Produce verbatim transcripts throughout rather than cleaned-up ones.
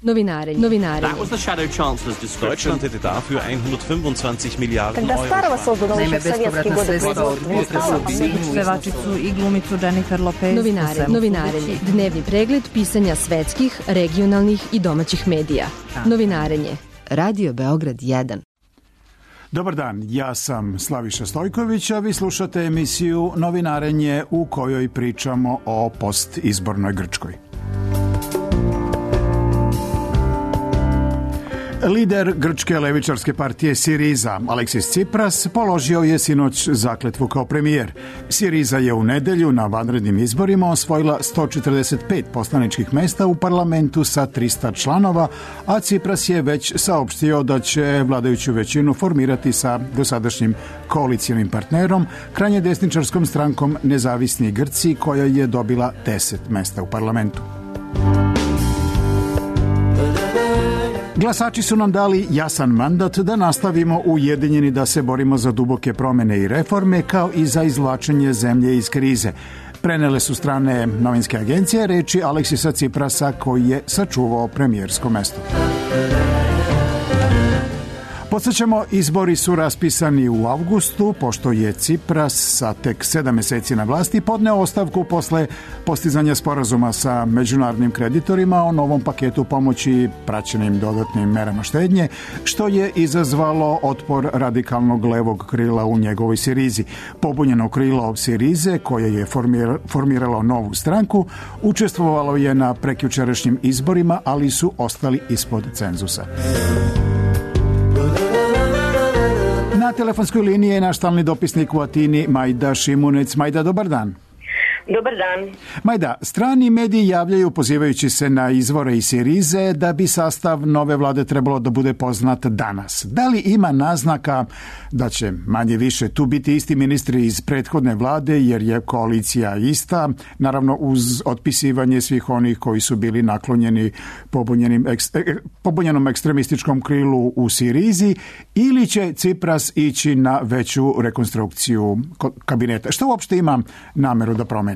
Novinarenje. Novinarenje. That was the Shadow Chancellor's description. Deutschland hätte dafür hundertfünfundzwanzig Miliarden Когда Euro. Старого создано Naime, еще в советские bespovratna годы sredstva od производства. pevačicu i glumicu Jennifer Lopez. Novinarenje. Novinarenje. Dnevni pregled pisanja svetskih, regionalnih i domaćih medija. Novinarenje. Radio Beograd jedan. Dobar dan, ja sam Slaviša Stojković, a vi slušate emisiju Novinarenje u kojoj pričamo o postizbornoj Grčkoj. Lider grčke levičarske partije Siriza, Aleksis Tsipras, položio je sinoć zakletvu kao premijer. Siriza je u nedelju na vanrednim izborima osvojila sto četrdeset pet poslaničkih mesta u parlamentu sa trista članova, a Tsipras je već saopštio da će vladajuću većinu formirati sa dosadašnjim koalicijonim partnerom, krajnje desničarskom strankom Nezavisni Grci, koja je dobila deset mesta u parlamentu. Glasači su nam dali jasan mandat da nastavimo ujedinjeni da se borimo za duboke promene i reforme, kao i za izvlačenje zemlje iz krize. Prenele su strane novinske agencije reči Aleksisa Tsiprasa, koji je sačuvao premijersko mesto. Podsjećamo, izbori su raspisani u avgustu, pošto je Tsipras sa tek sedam meseci na vlasti podneo ostavku posle postizanja sporazuma sa međunarodnim kreditorima o novom paketu pomoći praćenim dodatnim merama štednje, što je izazvalo otpor radikalnog levog krila u njegovoj Sirizi. Pobunjeno krilo Sirize, koje je formiralo novu stranku, učestvovalo je na prekjučerašnjim izborima, ali su ostali ispod cenzusa. Na telefonskoj liniji je naš stalni dopisnik u Atini, Majda Šimunec. Majda, dobar dan. Dobar dan. Majda, strani mediji javljaju, pozivajući se na izvore iz Sirize, da bi sastav nove vlade trebalo da bude poznat danas. Da li ima naznaka da će manje više tu biti isti ministri iz prethodne vlade, jer je koalicija ista, naravno uz otpisivanje svih onih koji su bili naklonjeni pobunjenom ekstremističkom krilu u Sirizi, ili će Tsipras ići na veću rekonstrukciju kabineta? Što uopšte ima nameru da promeni?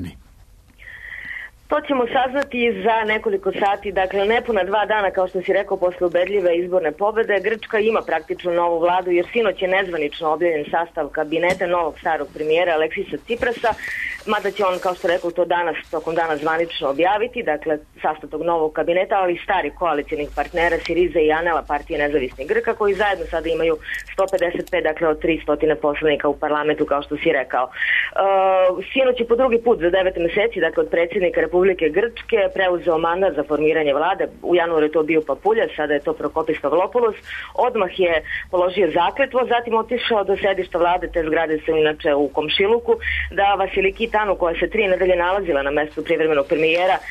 To ćemo saznati za nekoliko sati, dakle nepuna dva dana, kao što si rekao, posle ubedljive izborne pobede. Grčka ima praktično novu vladu, jer sinoć je nezvanično objavljen sastav kabineta novog starog premijera Aleksisa Tsiprasa, mada će on, kao što rekao, to danas, tokom dana zvanično objaviti, dakle sastav tog novog kabineta, ali i stari koalicijnih partnera Siriza i Anela, partije nezavisnih Grka, koji zajedno sada imaju sto pedeset pet, dakle od tristo poslanika u parlamentu, kao što si rekao. Uh, sinoć je po drugi put za devet meseci, dakle od predsjednika Republike Grčke, preuzeo mandat za formiranje vlade. U januaru je to bio Papuljas, sada je to Prokopis Pavlopoulos. Odmah je položio zakletvo, zatim otišao do sedišta vlade, te zgrade su inače u komšiluku, da Vasiliki Tanu, koja se tri nedelje nalazila na mestu privremenog premijera, um,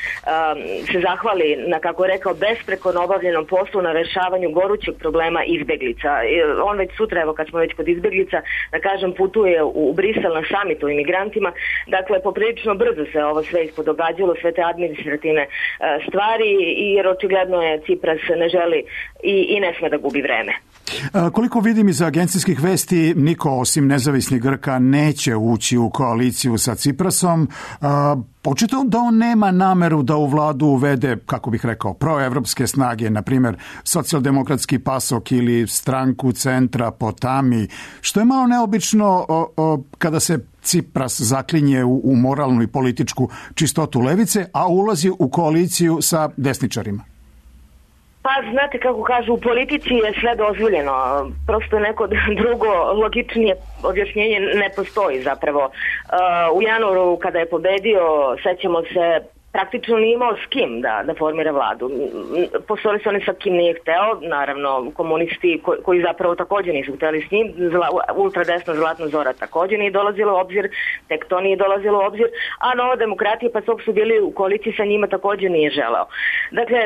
se zahvali na, kako je rekao, besprekorno obavljenom poslu na rešavanju gorućeg problema izbeglica. On već sutra, evo kad smo već kod izbeglica, da kažem, putuje u, u Brisel na samit o imigrantima. Dakle, poprilično brzo se ovo sve ispodogađalo, sve te administrativne uh, stvari, jer očigledno je Tsipras ne želi i, i ne sme da gubi vreme. A, koliko vidim iz agencijskih vesti, niko osim nezavisnih Grka neće ući u koaliciju sa Tsiprasom. A, očito da on nema nameru da u vladu uvede, kako bih rekao, proevropske snage, na primjer socijaldemokratski PASOK ili stranku centra Potami, što je malo neobično o, o, kada se Tsipras zaklinje u, u moralnu i političku čistotu levice, a ulazi u koaliciju sa desničarima. Pa, znate kako kažu, u politici je sve dozvoljeno, prosto neko drugo logičnije objašnjenje ne postoji zapravo. Uh, u januaru kada je pobedio, sećamo se, praktično nije imao s kim da, da formira vladu. Postojali su oni sa kim nije hteo, naravno komunisti ko, koji zapravo također nisu hteli s njim, zla, ultradesna Zlatna Zora također nije dolazilo u obzir, tek to nije dolazilo u obzir, a Nova demokratija, pa su bili u koaliciji sa njima, također nije želeo. Dakle,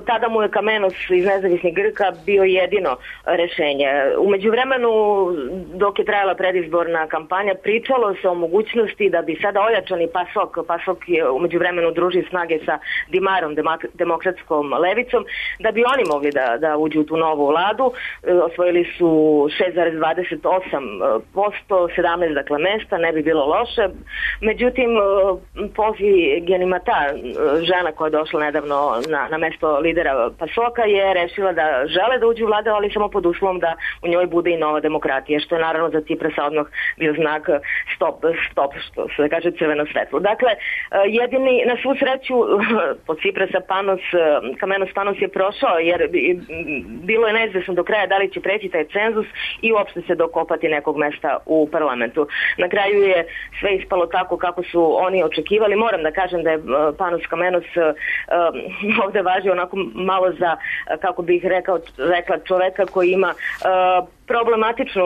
tada mu je Kamenos iz nezavisnih Grka bio jedino rešenje. U međuvremenu, dok je trajala predizborna kampanja, pričalo se o mogućnosti da bi sada ojačani PASOK, PASOK je u međuvremenu udruži snage sa Dimarom, demokratskom levicom, da bi oni mogli da, da uđu u tu novu vladu. Osvojili su šest zarez dvadeset osam posto, sedamnaest dakle mesta, ne bi bilo loše. Međutim, Pozi Genimata, žena koja je došla nedavno na, na mesto lidera Pasoka, je rešila da žele da uđu u vladu, ali samo pod uslovom da u njoj bude i nova demokratija, što je naravno za Ciprasa odmah bio znak stop, stop, što se kaže crveno svetlo. Dakle, jedini, na svu sreću, pod Ciprasa Panos, Kamenos Panos je prošao, jer bilo je neizvesno do kraja da li će preći taj cenzus i uopšte se dokopati nekog mesta u parlamentu. Na kraju je sve ispalo tako kako su oni očekivali. Moram da kažem da je Panos Kamenos um, ovde važi onako malo za, kako bih rekao, rekla čoveka koji ima uh, problematičnu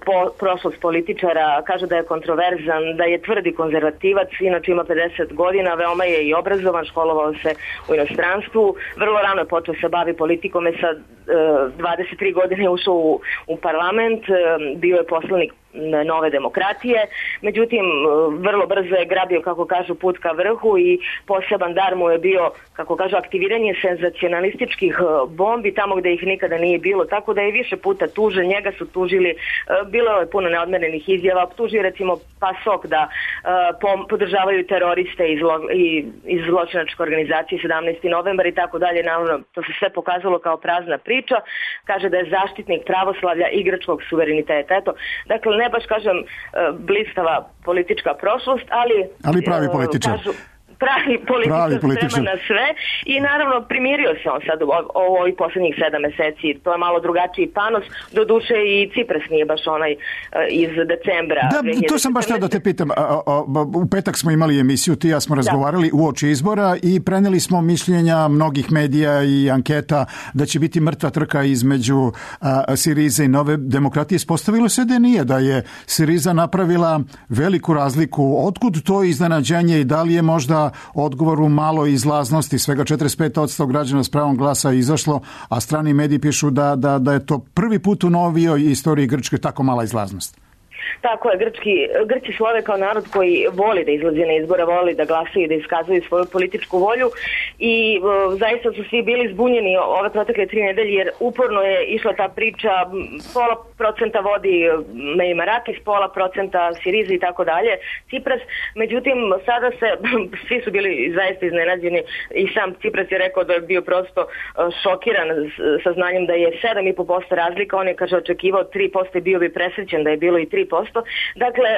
po, prošlost političara, kaže da je kontroverzan, da je tvrdi konzervativac, inače ima pedeset godina, veoma je i obrazovan, školovao se u inostranstvu, vrlo rano je počeo se bavi politikom, je sa uh, dvadeset tri godine je ušao u, u parlament, uh, bio je poslanik Nove demokratije, međutim vrlo brzo je grabio, kako kažu, put ka vrhu i poseban dar mu je bio, kako kažu, aktiviranje senzacionalističkih bombi tamo gde ih nikada nije bilo, tako da je više puta tužen, njega su tužili, bilo je puno neodmerenih izjava, tuži recimo Pasok da podržavaju teroriste iz, iz zločinačke organizacije sedamnaesti novembar i tako dalje, naravno to se sve pokazalo kao prazna priča, kaže da je zaštitnik pravoslavlja i grčkog suvereniteta, eto, dakle ne baš kažem blistava politička prošlost, ali... Ali pravi političar. Kažu, pravi političar, sprema na sve i naravno primirio se on sad u ovih poslednjih sedam meseci. To je malo drugačiji Panos, do duše i Cipras nije baš onaj iz decembra. Da, to sam baš tada da te pitam. U petak smo imali emisiju, ti ja smo razgovarali da. uoči izbora i preneli smo mišljenja mnogih medija i anketa da će biti mrtva trka između Sirize i Nove demokratije. Ispostavilo se da nije, da je Siriza napravila veliku razliku. Otkud to iznenađenje i da li je možda odgovor u maloj izlaznosti, svega četrdeset pet posto građana s pravom glasa je izašlo, a strani mediji pišu da, da, da je to prvi put u novijoj istoriji Grčke tako mala izlaznost. Tako je, Grčki, Grci slove kao narod koji voli da izlazi na izbore, voli da glasaju i da iskazuju svoju političku volju i uh, zaista su svi bili zbunjeni ove protekle tri nedelje jer uporno je išla ta priča, pola procenta vodi Meimarakis, pola procenta Siriza i tako dalje, Cipras, međutim sada se, svi su bili zaista iznenađeni i sam Cipras je rekao da je bio prosto šokiran sa znanjem da je sedam i po posto razlika, on je kaže očekivao tri posto i bio bi presrećen da je bilo i tri posto. Dakle,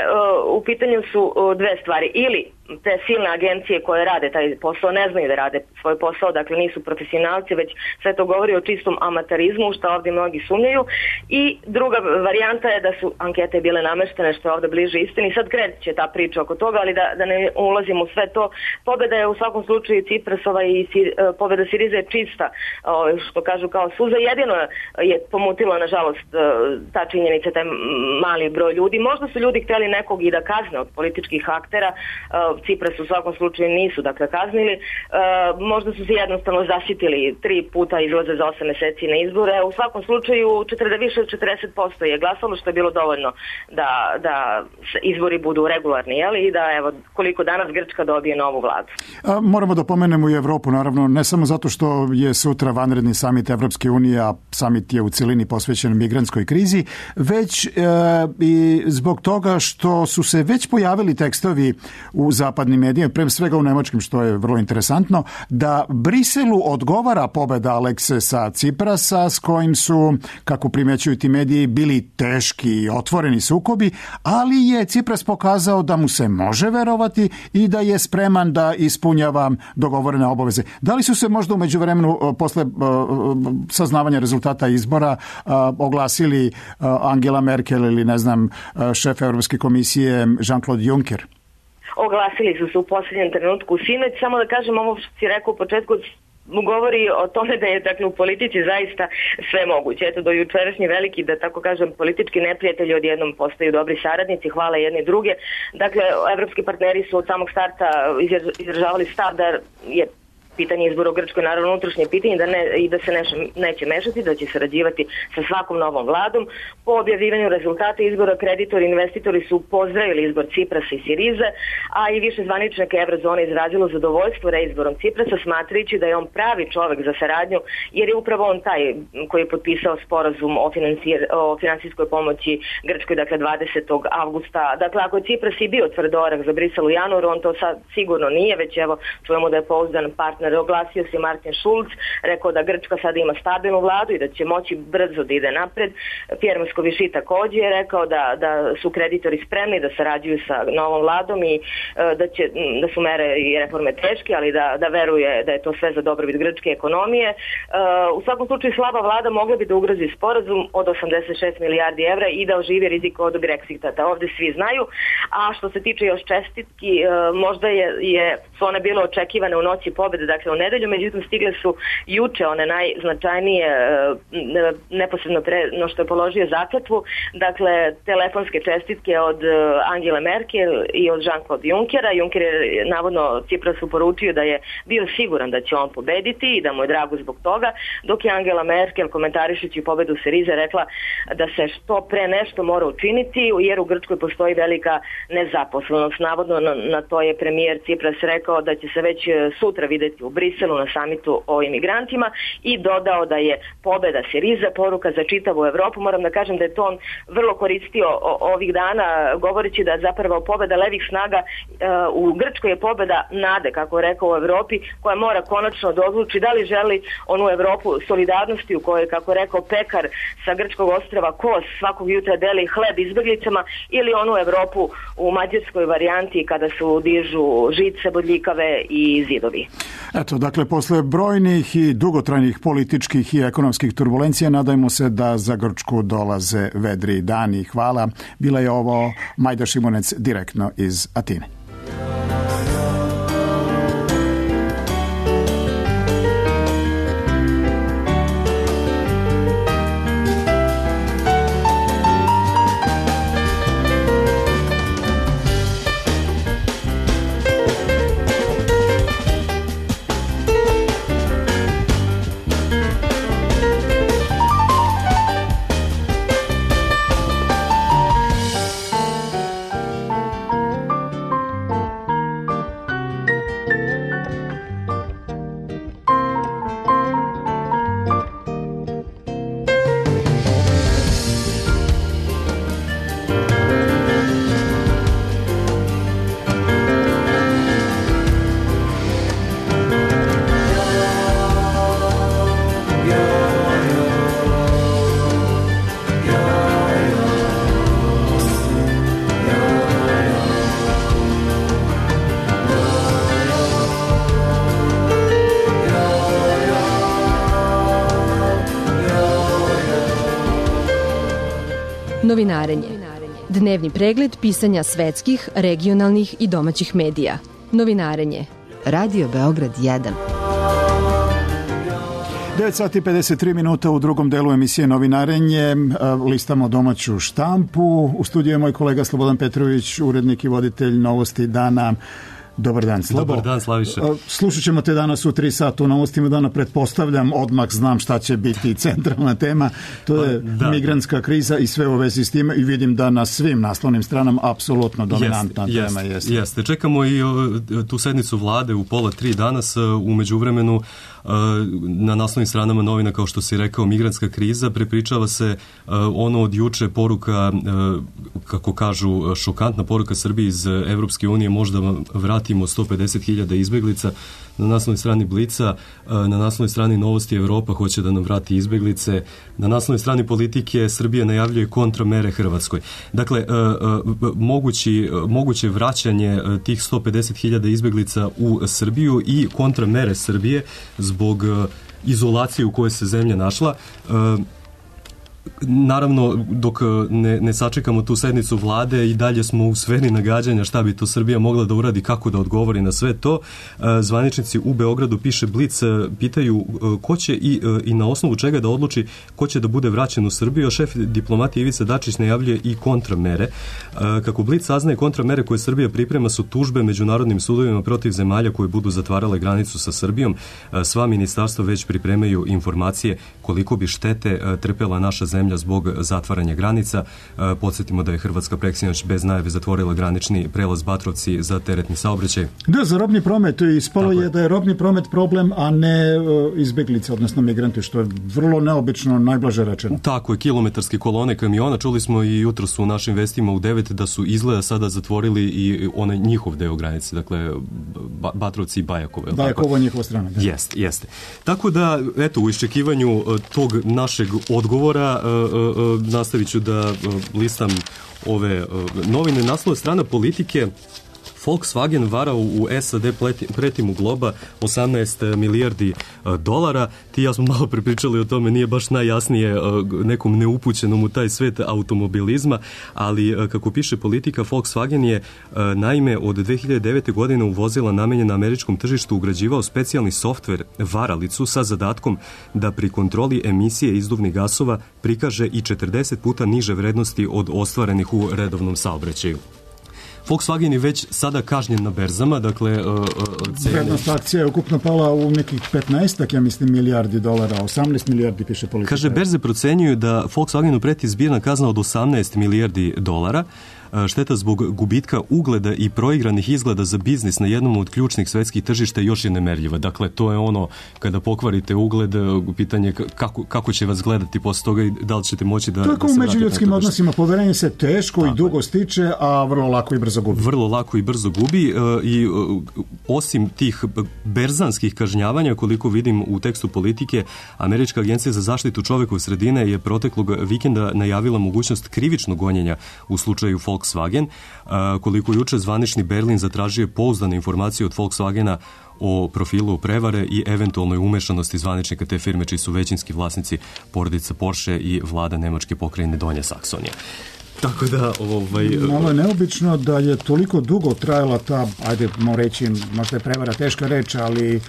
u pitanju su dve stvari. Ili te silne agencije koje rade taj posao ne znaju da rade svoj posao, dakle nisu profesionalci, već sve to govori o čistom amaterizmu, što ovdje mnogi sumnjaju. I druga varijanta je da su ankete bile nameštene, što je ovdje bliže istini. Sad kreće ta priča oko toga, ali da, da ne ulazimo u sve to. Pobjeda je u svakom slučaju Ciprasova i si, pobjeda Sirize je čista, što kažu kao suza. Jedino je pomutilo, nažalost, ta činjenica, taj mali broj ljudi. Možda su ljudi htjeli nekog i da kazne od političkih aktera, Cipras u svakom slučaju nisu dakle kaznili, e, možda su se jednostavno zaštitili, tri puta izlaze za osam meseci na izbore, u svakom slučaju četrdeset, više od četrdeset posto je glasalo, što je bilo dovoljno da, da izbori budu regularni, jeli, i da evo koliko danas Grčka dobije novu vladu. A, moramo da pomenemo i Evropu, naravno, ne samo zato što je sutra vanredni samit Evropske unije, a samit je u cilini posvećen migrantskoj krizi, već e, i zbog toga što su se već pojavili tekstovi u zapadnim medijima, pre svega u nemačkim, što je vrlo interesantno, da Briselu odgovara pobeda Aleksesa Ciprasa, s kojim su, kako primećuju ti mediji, bili teški i otvoreni sukobi, ali je Cipras pokazao da mu se može verovati i da je spreman da ispunjava dogovorene obaveze. Da li su se možda u međuvremenu, posle saznavanja rezultata izbora, oglasili Angela Merkel ili, ne znam, šef Evropske komisije Jean-Claude Juncker? Oglasili su se u posljednjem trenutku sinoć, samo da kažem ovo što si rekao u početku, govori o tome da je dakle, u politici zaista sve moguće. Eto, do jučerašnji veliki, da tako kažem, politički neprijatelji odjednom postaju dobri saradnici, hvale jedni druge. Dakle, evropski partneri su od samog starta izražavali stav da je pitanje izbora u Grčkoj naravno unutrašnje pitanje da ne, i da se neše, neće mešati, da će sarađivati sa svakom novom vladom. Po objavljivanju rezultata izbora kreditori i investitori su pozdravili izbor Ciprasa i Sirize, a i više zvaničnjaka Evrozone izrazilo zadovoljstvo reizborom Ciprasa, smatrajući da je on pravi čovek za saradnju, jer je upravo on taj koji je potpisao sporazum o, o finansijskoj pomoći Grčkoj, dakle dvadesetog avgusta. Dakle, ako je Cipras i bio tvrdorak za Brisel u januaru, on to sad sigurno nije, već evo čujemo da je pouzdan partner. Oglasio se Martin Schulz, rekao da Grčka sada ima stabilnu vladu i da će moći brzo da ide napred. Pierre Moscovici takođe je rekao da, da su kreditori spremni da sarađuju sa novom vladom i da, će, da su mere i reforme teške, ali da, da veruje da je to sve za dobrobit grčke ekonomije. U svakom slučaju slaba vlada mogla bi da ugrozi sporazum od osamdeset šest milijardi evra i da oživi rizik od Brexita. Da ovde svi znaju. A što se tiče još čestitki, možda je, je, su one bile očekivane u noći pobede, dakle u nedelju, međutim stigle su juče one najznačajnije neposredno pre no što je položio zakletvu, dakle telefonske čestitke od Angele Merkel i od Jean-Claude Junckera. Juncker je navodno Ciprasu poručio da je bio siguran da će on pobediti i da mu je drago zbog toga, dok je Angela Merkel komentarišući pobedu Sirize rekla da se što pre nešto mora učiniti jer u Grčkoj postoji velika nezaposlenost. Navodno na, na to je premijer Cipras rekao da će se već sutra videti u Briselu na samitu o imigrantima i dodao da je pobeda Sirize poruka za čitavu Evropu. Moram da kažem da je to on vrlo koristio ovih dana govoreći da zapravo pobeda levih snaga uh, u Grčkoj je pobeda nade, kako je rekao, u Evropi, koja mora konačno da odluči da li želi onu Evropu solidarnosti u kojoj, kako je rekao, pekar sa grčkog ostrva Kos svakog jutra deli hleb izbeglicama ili onu Evropu u mađarskoj varijanti kada su dižu žice, bodljikave i zidovi. Eto, dakle, posle brojnih i dugotrajnih političkih i ekonomskih turbulencija nadajmo se da za Grčku dolaze vedri dani. Hvala. Bila je ovo Majda Šimunec direktno iz Atine. Novinarenje. Dnevni pregled pisanja svetskih, regionalnih i domaćih medija. Novinarenje. Radio Beograd jedan. devet sati pedeset tri minuta u drugom delu emisije Novinarenje. Listamo domaću štampu. U studiju je moj kolega Slobodan Petrović, urednik i voditelj Novosti dana. Dobar dan, Slobo. Dobar dan, Slaviša. Slušat ćemo te danas u tri sata u Novostima dana, pretpostavljam, odmah znam šta će biti centralna tema. To je da. migrantska kriza i sve u vezi s time i vidim da na svim naslovnim stranama apsolutno dominantna jeste, tema jeste. jeste. Jeste. Čekamo i tu sednicu vlade u pola tri danas. U međuvremenu na naslovnim stranama novina, kao što si rekao, migrantska kriza, prepričava se ono od juče poruka, kako kažu, šokantna poruka Srbiji iz Evropske unije, možda vratimo sto pedeset hiljada izbeglica. Na naslovnoj strani Blica, na naslovnoj strani Novosti Evropa hoće da nam vrati izbeglice. Na naslovnoj strani Politike Srbija najavljuje kontramere Hrvatskoj. Dakle, mogući, moguće vraćanje tih sto pedeset hiljada izbeglica u Srbiju i kontramere Srbije zbog izolacije u kojoj se zemlja našla. Naravno, dok ne, ne sačekamo tu sednicu vlade i dalje smo u sferi nagađanja šta bi to Srbija mogla da uradi, kako da odgovori na sve to. Zvaničnici u Beogradu, piše Blic, pitaju ko će i, i na osnovu čega da odluči ko će da bude vraćen u Srbiju, a šef diplomatije Ivica Dačić najavljuje i kontramere. Kako Blic saznaje, kontramere koje Srbija priprema su tužbe međunarodnim sudovima protiv zemalja koje budu zatvarale granicu sa Srbijom. Sva ministarstva već pripremaju informacije koliko bi štete trpela naša zemlja zbog zatvaranja granica. Podsjetimo da je Hrvatska preksinoć bez najave zatvorila granični prelaz Batrovci za teretni saobraćaj. Da, za robni promet. Ispalo je da je robni promet problem, a ne izbeglice, odnosno migranti, što je vrlo neobično, najblaže rečeno. Tako je, kilometarske kolone kamiona. Čuli smo i jutro su u našim vestima u devet da su izgleda sada zatvorili i onaj njihov deo granice, dakle Batrovci i Bajakovo. Bajakovo je njihova strana. Da. Jeste, jeste. Tako da, eto, u iščekivanju tog našeg odgovora nastavit ću da listam ove novine. Naslova strana Politike: Volkswagen varao u S A D preti mu globa osamnaest milijardi dolara. Ti ja smo malo prepričali o tome, nije baš najjasnije nekom neupućenom u taj svet automobilizma, ali kako piše Politika, Volkswagen je naime od dve hiljade devete. godine u vozila namenjena američkom tržištu ugrađivao specijalni softver varalicu sa zadatkom da pri kontroli emisije izduvnih gasova prikaže i četrdeset puta niže vrednosti od ostvarenih u redovnom saobraćaju. Volkswagen je već sada kažnjen na berzama, dakle... Uh, cene... Vrednost akcija je ukupno pala u nekih petnaest, ja mislim, milijardi dolara, osamnaest milijardi piše Politika. Kaže, berze procenjuju da Volkswagenu preti zbirna kazna od osamnaest milijardi dolara, šteta zbog gubitka ugleda i proigranih izgleda za biznis na jednom od ključnih svetskih tržišta još je nemerljiva. Dakle, to je ono, kada pokvarite ugled, pitanje kako, kako će vas gledati posle toga i da li ćete moći da... To je kao u međuljudskim odnosima, poverenje se teško i dugo stiče, a vrlo lako i brzo gubi. Vrlo lako i brzo gubi i osim tih berzanskih kažnjavanja, koliko vidim u tekstu Politike, Američka agencija za zaštitu čovekove sredine je proteklog vikenda najavila mogućnost krivičnog gonjenja u slučaju Volkswagen. Koliko juče zvanični Berlin zatražio pouzdane informacije od Volkswagena o profilu prevare i eventualnoj umešanosti zvaničnika te firme, čiji su većinski vlasnici porodica Porsche i vlada nemačke pokrajine Donja Saksonija. Tako da, ovaj... Malo je neobično da je toliko dugo trajala ta, ajde, mo reći, možda je prevara teška reč, ali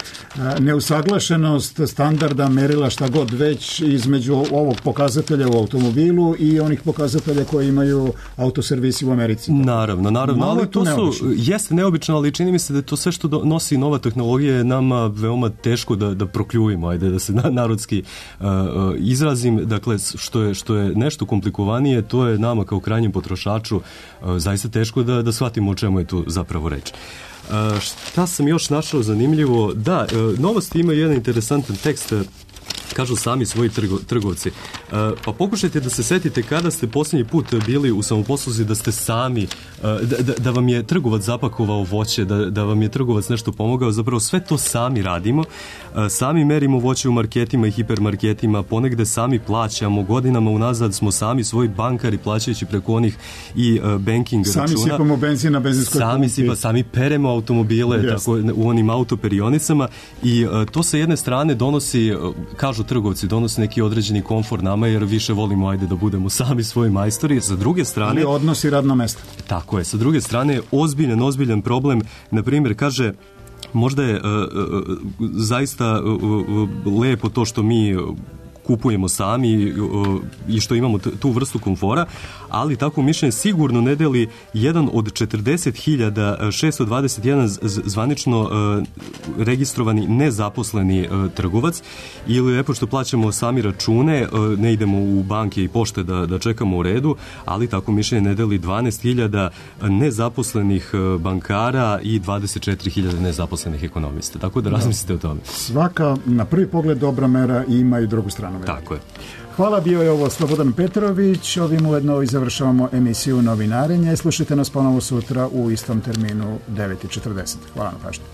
neusaglašenost standarda, merila, šta god već, između ovog pokazatelja u automobilu i onih pokazatelja koji imaju autoservisi u Americi. Naravno, naravno, ali to su, jeste neobično, ali čini mi se da to sve što do, nosi nova tehnologija je nama veoma teško da, da prokljuvimo, ajde, da se na, narodski uh, izrazim, dakle, što je, što je nešto komplikovanije, to je nama kao krajnjem potrošaču zaista teško da, da shvatimo o čemu je tu zapravo reč. Šta sam još našao zanimljivo? Da, Novosti ima jedan interesantan tekst, kažu sami svoji trgo, trgovci. Pa pokušajte da se setite kada ste posljednji put bili u samoposluzi da ste sami, da, da, da vam je trgovac zapakovao voće, da, da vam je trgovac nešto pomogao, zapravo sve to sami radimo. Sami merimo voće u marketima i hipermarketima, ponegde sami plaćamo, godinama unazad smo sami svoji bankari plaćajući preko onih i banking sami računa. Sami sipamo benzin na benzinskoj sami sipa, sami peremo automobile yes. tako, u onim autoperionicama i to sa jedne strane donosi, kažu trgovci, donosi neki određeni komfor nama jer više volimo ajde da budemo sami svoji majstori. Sa druge strane... Ali odnosi radno mesto. Tako je. Sa druge strane, ozbiljan, ozbiljan problem, na primjer, kaže, možda je uh, uh, zaista uh, uh, lepo to što mi kupujemo sami uh, i što imamo t- tu vrstu komfora, ali tako mišljenje sigurno ne deli jedan od četrdeset hiljada šessto dvadeset jedan zvanično uh, registrovani nezaposleni uh, trgovac ili lepo što plaćamo sami račune, uh, ne idemo u banke i pošte da, da čekamo u redu, ali tako mišljenje ne deli dvanaest hiljada nezaposlenih uh, bankara i dvadeset četiri hiljade nezaposlenih ekonomista. Tako da razmislite o tome. Svaka na prvi pogled dobra mera ima i drugu stranu. Tako je. Hvala, bio je ovo Slobodan Petrović. Ovim ujedno i završavamo emisiju Novinarenje. Slušajte nas ponovo sutra u istom terminu devet i četrdeset. Hvala na pažnju.